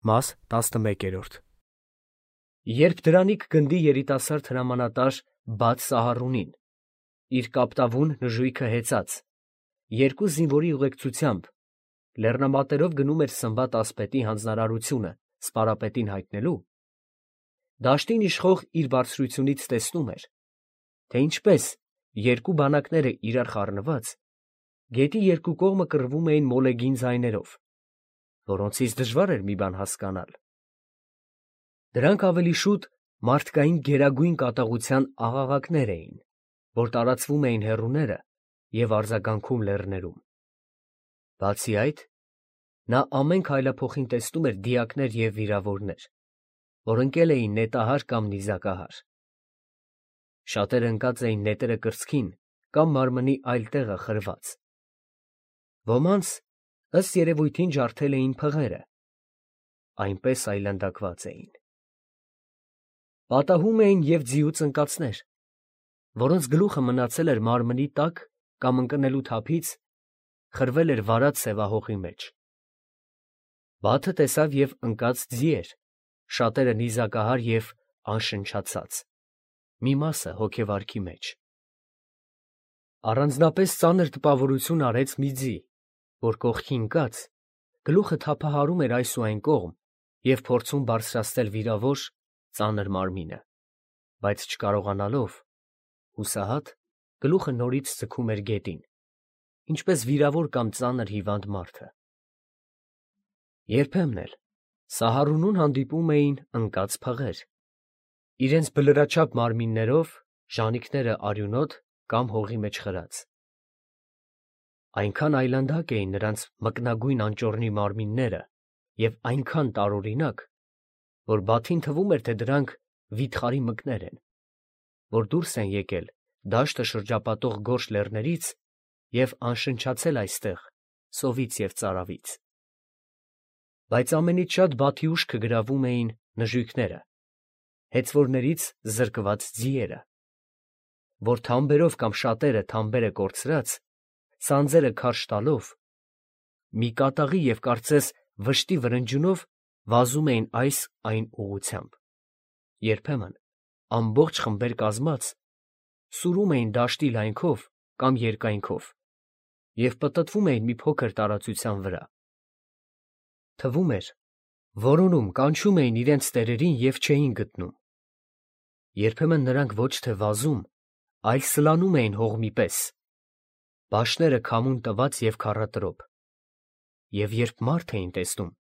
Մաս 11։ Երբ դրանիք գնդի երիտասարդ հրամանատար բաց Սահարունին, իր կապտավուն նժույգը հեծած, երկու զինվորի ուղեկցությամբ լեռնամատերով գնում էր Սմբատ ասպետի հանձնարարությունը սպարապետին հայտնելու, դաշտին իշխող իր բարձրությունից տեսնում էր, թե ինչպես երկու բանակները իրար խառնված, գետի երկու կողմը կռվում էին մոլեգին ձայներով, որոնցից դժվար էր մի բան հասկանալ. դրանք ավելի շուտ մարդկային գերագույն կատաղության աղաղակներ էին, որ տարածվում էին հեռուները և արձագանքում լեռներում. բացի այդ, նա ամեն քայլափոխին տեսնում էր դիակներ և վիրավորներ, որ ընկել էին նետահար կամ նիզակահար. շատերը ընկած էին նետերը կրծքին կամ մարմնի այլ տեղը խրված, ոմանց ըստ երևույթին ջարդել էին փղերը, այնպես այլանդակված էին. պատահում էին և ձիուց ընկածներ, որոնց գլուխը մնացել էր մարմնի տակ կամ ընկնելու թափից խրվել էր վարած սևահողի մեջ. Բաթը տեսավ և ընկած ձիեր, շատերը նիզակահար և անշնչացած, մի մասը հոգեվարքի մեջ. առանձնապես ծանր տպավորություն արեց մի ձի, որ կողքի ընկած, գլուխը թափահարում էր այս ու այն կողմ և փորձում բարձրացնել վիրավոր, ծանր մարմինը, բայց չկարողանալով, հուսահատ, գլուխը նորից ձգում էր գետին, ինչպես վիրավոր կամ ծանր հիվանդ մարդը. երբեմն էլ Սահարունուն հանդիպում էին ընկած փղեր, իրենց բլրաչափ մարմիններով, ժանիքները արյունոտ կամ հողի մեջ խրած. այնքան այլանդակ էին նրանց մկնագույն անճոռնի մարմինները և այնքան տարօրինակ, որ Բաթին թվում էր, թե դրանք վիթխարի մկներ են, որ դուրս են եկել դաշտը շրջապատող գորշ լեռներից և անշնչացել այստեղ սովից և ծարավից. բայց ամենից շատ Բաթի ուշքը գրավում էին նժույգները, հեծվորներից զրկված ձիերը, որ թամբերով կամ շատերը թամբերը կորցրած, սանձերը քարշ տալով, մի կատաղի և կարծես վշտի վրնջյունով վազում էին այս այն ուղղությամբ, երբեմն ամբողջ խմբեր կազմած, սուրում էին դաշտի լայնքով կամ երկայնքով և պտտվում էին մի փոքր տարածության վրա. թվում էր, որոնում, կանչում էին իրենց տերերին և չէին գտնում. երբեմն նրանք ոչ թե վազում, այլ սլանում էին հողմի պես, բաշները քամուն տված և քառատրոփ, և երբ մարդ էին տեսնում,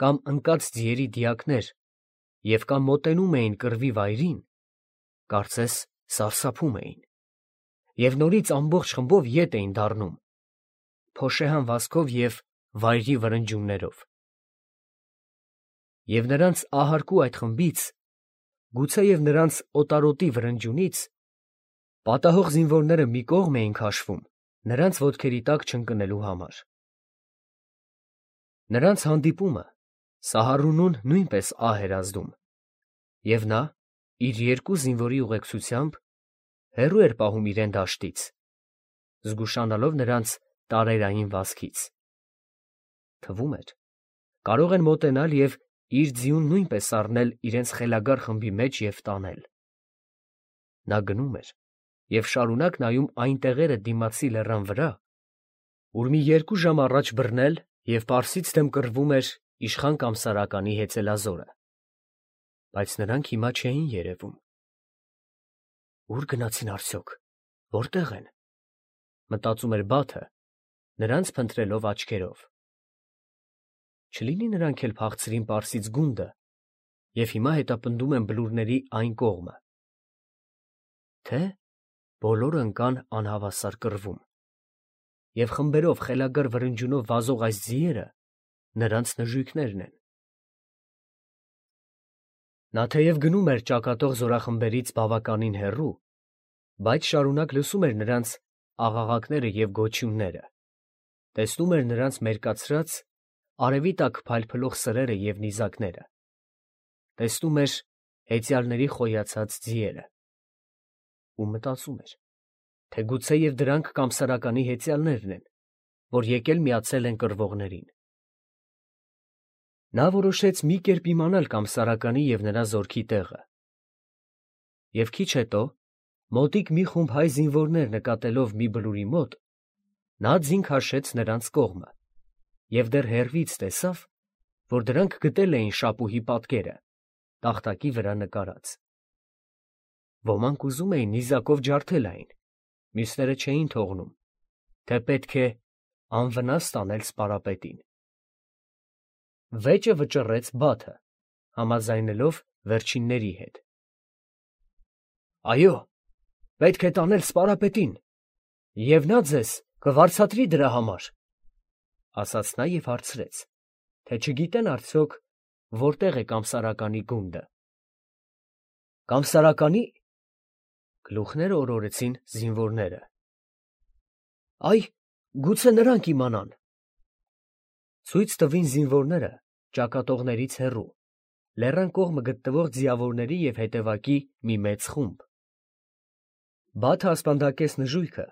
կամ ընկած ձիերի դիակներ և կամ մոտենում էին կռվի վայրին, կարծես սարսափում էին և նորից ամբողջ խմբով ետ էին դառնում, փոշեհան վազքով և վայրի վրնջյուններով. և նրանց ահարկու այդ խմբից, գուցեև նրանց օտարոտի վրնջյունից, պատահող զինվորները մի կողմ էին քաշվում նրանց ոտքերի տակ չընկնելու համար. նրանց հանդիպումը Սահարունուն նույնպես ահ էր ազդում, և նա իր երկու զինվորի ուղեկցությամբ հեռու էր պահում իրեն դաշտից, զգուշանալով նրանց տարերային վազքից. թվում էր, կարող են մոտենալ և իր ձիուն նույնպես առնել իրենց խելագար խմբի մեջ և տանել. նա գնում էր և շարունակ նայում այն տեղերը դիմացի լեռան վրա, ուր մի երկու ժամ առաջ բռնել և պարսից դեմ կռվում էր իշխան Կամսարականի հեծելազորը, բայց նրանք հիմա չէին երևում. «Ո՞ւր գնացին արդյոք, որտե՞ղ են», մտածում էր Բաթը, նրանց փնտրելով աչքերով. չլինի նրանք էլ փախցրին պարսից գունդը և հիմա հետապնդում են բլուրների այն կողմը, թե՞ բոլորը ընկան անհավասար կռվում, և խմբերով խելագար վրնջյունով վազող այս ձիերը նրանց նժույգներն են. նա թեև գնում էր ճակատող զորախմբերից բավականին հեռու, բայց շարունակ լսում էր նրանց աղաղակները և գոչյունները, տեսնում էր նրանց մերկացրած, արևի տակ փայլփլող սրերը և նիզակները, տեսնում էր հեծյալների խոյացած ձիերը ու մտածում էր, թե գուցեև դրանք Կամսարականի հեծյալներն են, որ եկել միացել են կռվողներին։ Նա որոշեց մի կերպ իմանալ Կամսարականի և նրա զորքի տեղը։ Եվ քիչ հետո, մոտիկ մի խումբ հայ զինվորներ նկատելով մի բլուրի մոտ, նա ձին քաշեց նրանց կողմը և դեռ հեռվից տեսավ, որ դրանք գտել էին շապուհի պատկերը, տախտակի վրա նկարած։ Ոմանք ուզում էին նիզակով ջարդել այն, մյուսները չէին թողնում, թե պետք է անվնաս տանել սպարապետին։ Վեճը վճռեց Բաթը, համաձայնելով վերջինների հետ։ Այո, պետք է տանել սպարապետին, և նա ձեզ կվարձատրի դրա համար, ասաց նա և հարցրեց, թե չգիտեն արդյոք որտեղ է Կամսարականի գունդը։ Կամսարականի՞, գլուխները օրորեցին զինվորները։ Այ, գուցե նրանք իմանան։ Ցույց տվին զինվորները ճակատողներից հեռու, լեռան կողմը գտնվող ձիավորների և հետևակի մի մեծ խումբ։ Բաթը ասպանդակեց նժույգը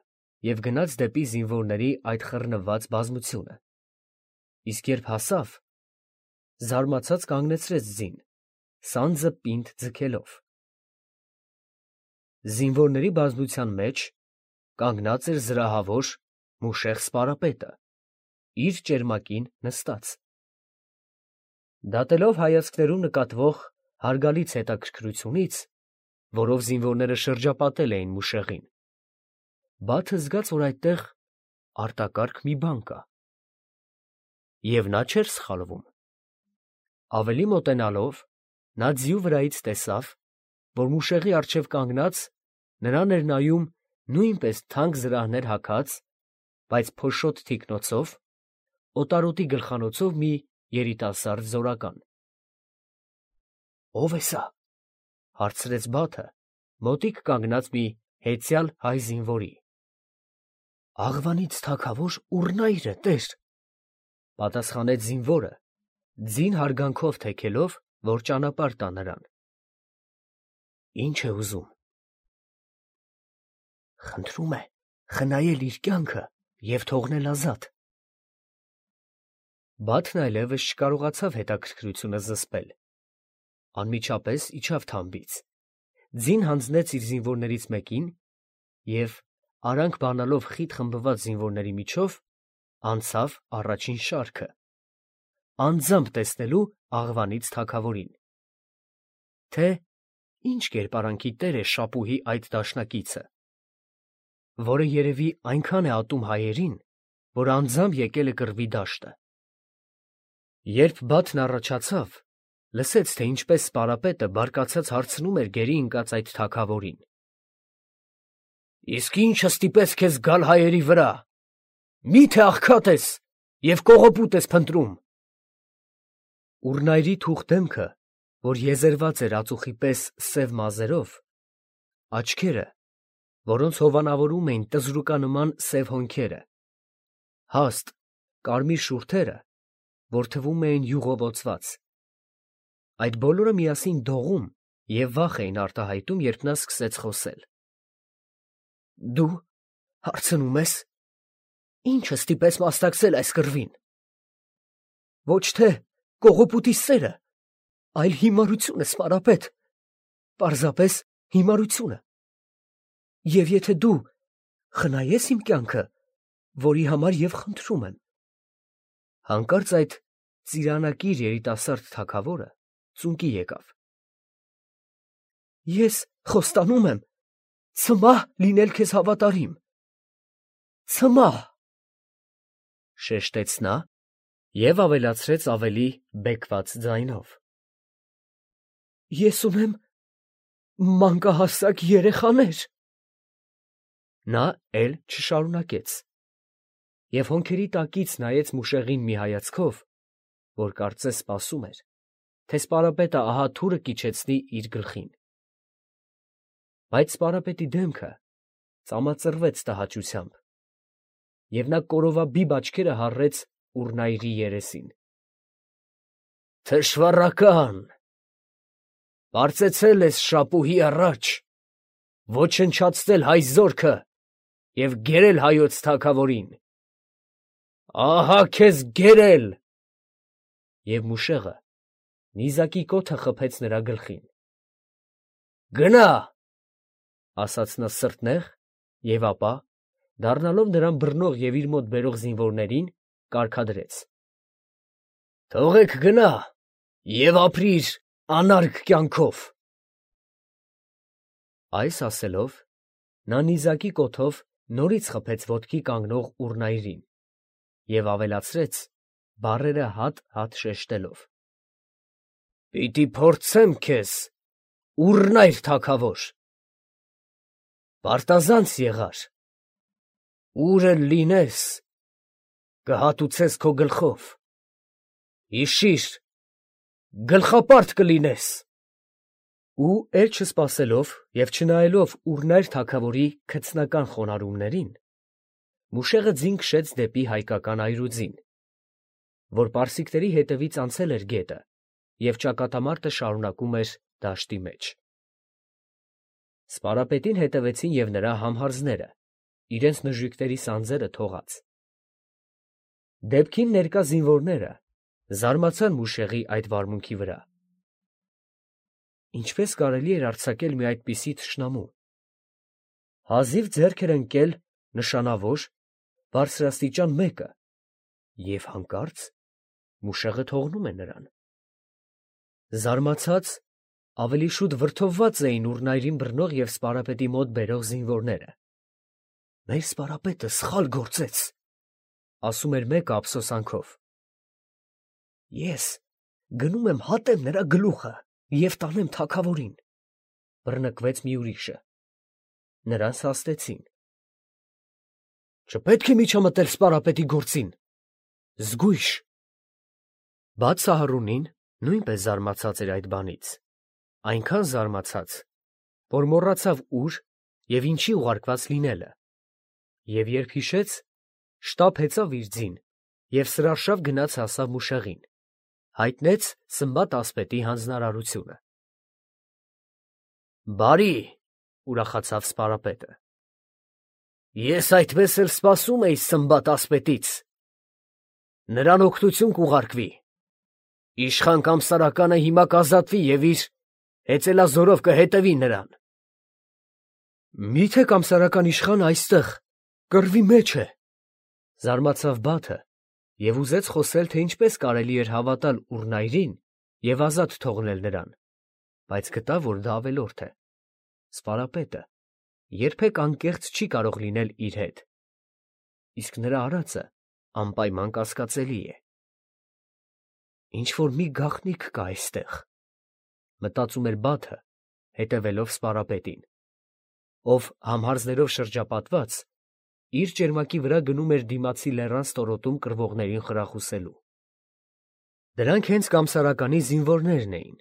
և գնաց դեպի զինվորների այդ խռնված բազմությունը, իսկ երբ հասավ, զարմացած կանգնեցրեց ձին, սանձը պինդ ձգելով։ Զինվորների բազմության մեջ կանգնած էր զրահավոր մուշեղ սպարապետը, իր ճերմակին նստած։ Դատելով հայացքներում նկատվող հարգալից հետաքրքրությունից, որով զինվորները շրջապատել էին մուշեղին, Բաթը զգաց, որ այդտեղ արտակարգ մի բան կա։ Եվ նա չէր սխալվում։ Ավելի մոտենալով, նա ձիու վրայից տեսավ, որ մուշեղի առջև կանգնած նրան էր նայում նույնպես թանկ զրահներ հագած, բայց փոշոտ թիկնոցով, օտարոտի գլխանոցով մի երիտասարդ զորական։ Ո՞վ է սա, հարցրեց Բաթը, մոտիկ կանգնած մի հեծյալ հայ զինվորի։ Աղվանից թագավոր Ուռնայրը, տեր, պատասխանեց զինվորը, ձին հարգանքով թեքելով, որ ճանապարհ տա նրան։ Ինչ է ուզում։ Խնդրում է խնայել իր կյանքը և թողնել ազատ։ Բաթն այլևս չկարողացավ հետաքրքրությունը զսպել։ Անմիջապես իջավ թամբից, ձին հանձնեց իր զինվորներից մեկին և, արանք բանալով խիտ խմբված զինվորների միջով, անցավ առաջին շարքը, անձամբ տեսնելու աղվանից թագավորին, թե ինչ կերպարանքի տեր է շապուհի այդ դաշնակիցը, որը երևի այնքան է ատում հայերին, որ անձամբ եկել է կռվի դաշտը։ Երբ Բաթն առաջացավ, լսեց, թե ինչպես սպարապետը բարկացած հարցնում էր գերի ընկած այդ թագավորին. Իսկ ի՞նչը ստիպեց քեզ գալ հայերի վրա, մի՞թե աղքատ ես և կողոպուտ ես փնտրում։ Ուռնայրի թուխ դեմքը, որ եզերված էր ածուխի պես սև մազերով, աչքերը, որոնց հովանավորում էին տզրուկանման սև հոնքերը, հաստ, կարմիր շուրթերը, որ թվում էին յուղովոցված, այդ բոլորը միասին դողում և վախ էին արտահայտում, երբ նա սկսեց խոսել։ Դու հարցնում ես, ի՞նչը ստիպեց մասնակցել այս կռվին։ Ոչ թե կողոպուտի սերը, այլ հիմարությունը, սպարապետ, պարզապես հիմարությունը։ Եվ եթե դու խնայես իմ կյանքը, որի համար և խնդրում եմ։ Հանկարծ այդ ծիրանակիր երիտասարդ թագավորը ծունկի եկավ։ Ես խոստանում եմ ցմահ լինել քեզ հավատարիմ, ցմահ, շեշտեց նա և ավելացրեց ավելի բեկված ձայնով. Ես ունեմ մանկահասակ երեխաներ։ Նա էլ չշարունակեց և հոնքերի տակից նայեց մուշեղին մի հայացքով, որ կարծես սպասում էր, թե սպարապետը ահա թուրը կիջեցնի իր գլխին։ Բայց սպարապետի դեմքը ծամածռվեց տհաճությամբ, և նա կորովաբիբ աչքերը հառեց Ուռնայրի երեսին։ Թշվառական, պարծեցել ես շապուհի առաջ, ոչնչացնել հայ զորքը և գերել հայոց թագավորին։ Ահա քեզ գերել, և մուշեղը նիզակի կոթը խփեց նրա գլխին։ «Գնա՛, ֊ ասաց նա սրտնեղ, և ապա, դառնալով նրան բռնող և իր մոտ բերող զինվորներին, կարգադրեց. «Թողեք գնա և ապրի իր անարգ կյանքով»։ Այս ասելով, նա նիզակի կոթով նորից խփեց ոտքի կանգնող Ուռնայրին և ավելացրեց, բառերը հատ-հատ շեշտելով. «Պիտի փորձեմ քեզ, Ուռնայր թագավոր, պարտազանց եղար, ուր էլ լինես, կհատուցես քո գլխով, հիշի՛ր, գլխապարտ կլինես»։ Ու էլ չսպասելով և չնայելով Ուռնայր թագավորի քցնական խոնարհումներին, մուշեղը ձին քշեց դեպի հայկական այրուձին, որ պարսիկների հետևից անցել էր գետը և ճակատամարտը շարունակում էր դաշտի մեջ։ Սպարապետին հետևեցին և նրա համհարձները, իրենց նժույգների սանձերը թողած։ Դեպքին ներկա զինվորները զարմացան մուշեղի այդ վարմունքի վրա. ինչպես կարելի էր արձակել մի այդպիսի թշնամու, հազիվ ձեռք էր ընկել նշանավոր, բարձրաստիճան մեկը, և հանկարծ մուշեղը թողնում է նրան։ Զարմացած, ավելի շուտ վրդովված էին Ուռնայրին բռնող և սպարապետի մոտ բերող զինվորները։ «Մեր սպարապետը սխալ գործեց, ֊ ասում էր մեկը ափսոսանքով։ ֊ Ես գնում եմ հատեմ նրա գլուխը և տանեմ թագավորին, ֊ բռնկվեց մի ուրիշը։ Նրանց հաստեցին։ «Չպետք է միջամտել սպարապետի գործին, զգույշ»։ Բաց Սահարունին նույնպես զարմացած էր այդ բանից, այնքան զարմացած, որ մոռացավ ուր և ինչի ուղարկված լինելը, և երբ հիշեց, շտապ հեծավ իր ձին և սրարշավ գնաց հասավ մուշեղին, հայտնեց Սմբատ ասպետի հանձնարարությունը։ «Բարի, ֊ ուրախացավ սպարապետը, ֊ ես այդպես էլ սպասում էի Սմբատ ասպետից. նրան օգնություն կուղարկվի, իշխան Կամսարականը հիմա կազատվի և իր հեծելազորով կհետևի նրան»։ «Մի՞թե կամսարական իշխանը այստեղ կռվի մեջ է, ֊ զարմացավ Բաթը և ուզեց խոսել, թե ինչպես կարելի էր հավատալ Ուռնայրին և ազատ թողնել նրան, բայց գտավ, որ դա ավելորդ է։ Սպարապետը երբեք անկեղծ չի կարող լինել իր հետ, իսկ նրա արածը անպայման կասկածելի է։ «Ինչ֊որ մի գաղտնիք կա այստեղ, ֊ մտածում էր Բաթը, հետևելով սպարապետին, ով համհարձներով շրջապատված, իր ճերմակի վրա գնում էր դիմացի լեռան ստորոտում կռվողներին խրախուսելու։ Դրանք հենց Կամսարականի զինվորներն էին,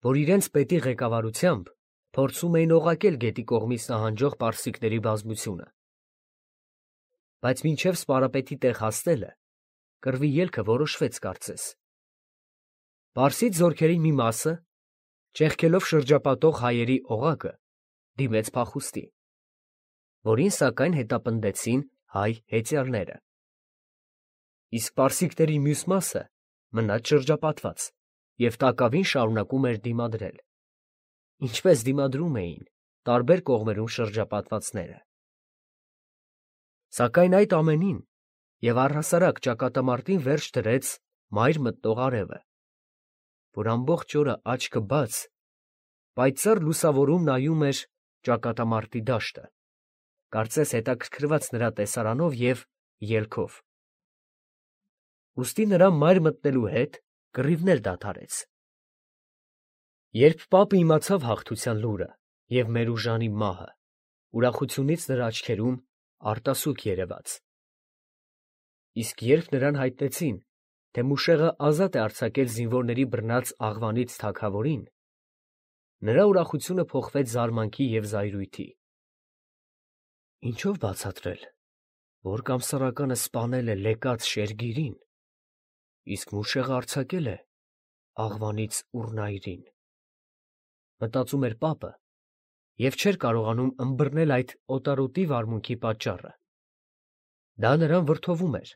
որ իրենց պետի ղեկավարությամբ փորձում էին օղակել գետի կողմից նահանջող պարսիկների բազմությունը։ Բայց մինչև սպարապետի տեղ հասնելը կռվի ելքը որոշվեց կարծես։ Պարսից զորքերի մի մասը, ճեղքելով շրջապատող հայերի օղակը, դիմեց փախուստի, որին սակայն հետապնդեցին հայ հեծյալները, իսկ պարսիկների մյուս մասը մնաց շրջապատված և տակավին շարունակում էր դիմադրել, ինչպես դիմադրում էին տարբեր կողմերում շրջապատվածները։ Սակայն այդ ամենին և առհասարակ ճակատամարտին վերջ դրեց մայր մտնող արևը, որ ամբողջ օրը աչքը բաց, պայծառ լուսավորում նայում էր ճակատամարտի դաշտը, կարծես հետաքրքրված նրա տեսարանով և ելքով։ Ուստի նրա մայր մտնելու հետ կռիվն էլ դադարեց։ Երբ պապը իմացավ հաղթության լուրը և Մերուժանի մահը, ուրախությունից նրա աչքերում արտասուք երևաց։ Իսկ երբ նրան հայտնեցին, թե մուշեղը ազատ է արձակել զինվորների բռնած աղվանից թագավորին, նրա ուրախությունը փոխվեց զարմանքի և զայրույթի։ Ինչո՞վ բացատրել, որ Կամսարականը սպանել է Լեկաց Շերգիրին, իսկ մուշեղը արձակել է աղվանից Ուռնայրին, մտածում էր պապը և չէր կարողանում ըմբռնել այդ օտարոտի վարմունքի պատճառը։ Դա նրան վրդովում էր,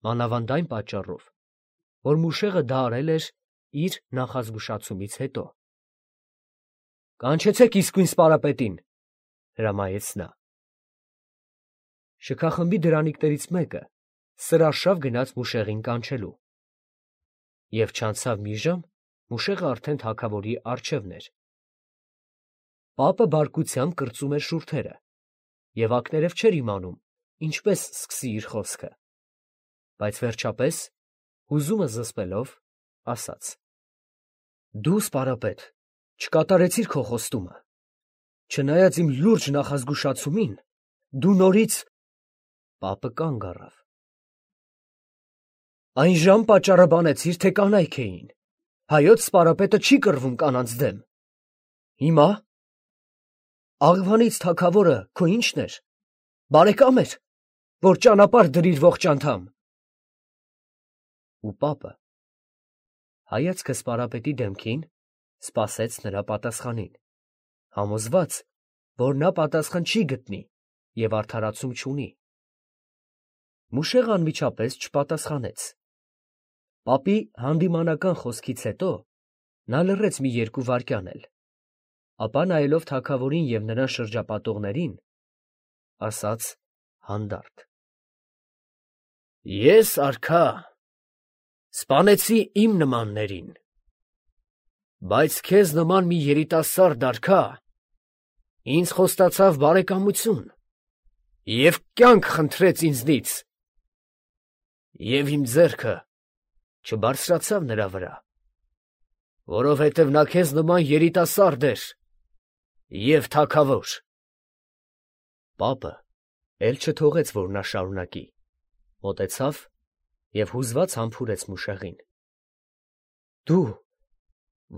մանավանդ այն պատճառով, որ Մուշեղը դա արել էր իր նախազգուշացումից հետո։ «Կանչեցեք իսկույն սպարապետին», հրամայեց նա։ Շքախմբի դրանիկներից մեկը սրարշավ գնաց Մուշեղին կանչելու։ Եվ չանցավ մի ժամ, Մուշեղը արդեն թագավորի առջևն էր։ Պապը բարկությամբ կրծում էր շուրթերը և ակներև չէր իմանում, ինչպես սկսի իր խոսքը, բայց վերջապես, հուզումը զսպելով, ասաց. «Դու, սպարապետ, չկատարեցիր քո խոստումը, չնայած իմ լուրջ նախազգուշացումին, դու նորից…» Պապը կանգ առավ։ «Այն ժամ պատճառը բանեցիր, թե կանայք էին, հայոց սպարապետը չի կռվում կանանց դեմ։ Հիմա… Աղվանից թագավորը քո ի՞նչն էր, բարեկամ էր, որ ճանապարհ դրիր ողջ անդամ»։ Ու պապը, հայացքը սպարապետի դեմքին, սպասեց նրա պատասխանին, համոզված, որ նա պատասխան չի գտնի և արդարացում չունի։ Մուշեղը անմիջապես չպատասխանեց։ Պապի հանդիմանական խոսքից հետո նա լռեց մի 2 վայրկյան էլ, ապա նայելով թագավորին և նրան շրջապատողներին, ասաց հանդարտ. «Ես, արքա, սպանեցի իմ նմաններին, բայց քեզ նման մի երիտասարդ արքա ինձ խոստացավ բարեկամություն և կյանք խնդրեց ինձնից, և իմ ձեռքը չբարձրացավ նրա վրա, որովհետև նա քեզ նման երիտասարդ էր և թագավոր»։ Պապը էլ չթողեց, որ նա շարունակի, մոտեցավ և հուզված համբուրեց Մուշեղին. «Դու,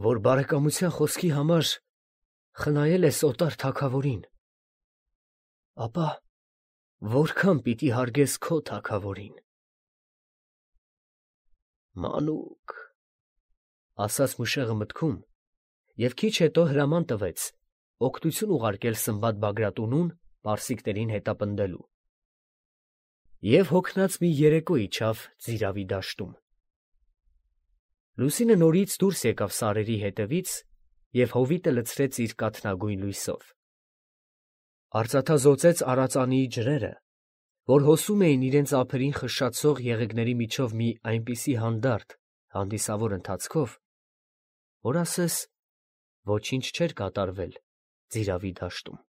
որ բարեկամության խոսքի համար խնայել ես օտար թագավորին, ապա որքան պիտի հարգես քո թագավորին»։ «Մանուկ», ասաց Մուշեղը մտքում և քիչ հետո հրաման տվեց օգնություն ուղարկել Սմբատ Բագրատունուն պարսիկներին հետապնդելու։ Եվ հոգնած մի երեկո իջավ Ծիրավի դաշտում։ Լուսինը նորից դուրս եկավ սարերի հետևից և հովիտը լցրեց իր կաթնագույն լույսով։ Արծաթազօծեց արածանիի ջրերը, որ հոսում էին իրենց ափերին խշշացող եղեգների միջով մի այնպիսի հանդարտ, հանդիսավոր ընթացքով, որ ասես ոչինչ չէր կատարվել Ծիրավի դաշտում։